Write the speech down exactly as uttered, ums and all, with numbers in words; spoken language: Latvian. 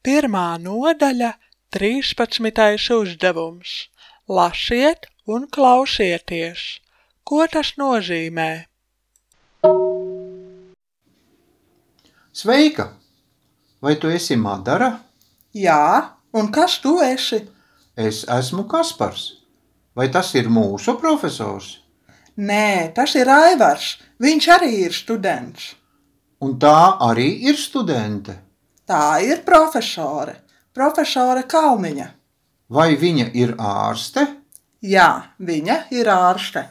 Pirmā nodaļa, trīspadsmitais uzdevums. Lasiet un klausieties. Ko tas nozīmē? Sveika! Vai tu esi Madara? Jā, un kas tu esi? Es esmu Kaspars. Vai tas ir mūsu profesors? Nē, tas ir Aivars. Viņš arī ir students. Un tā arī ir studente. Tā ir profesore. Profesore Kalniņa. Vai viņa ir ārste? Jā, viņa ir ārste.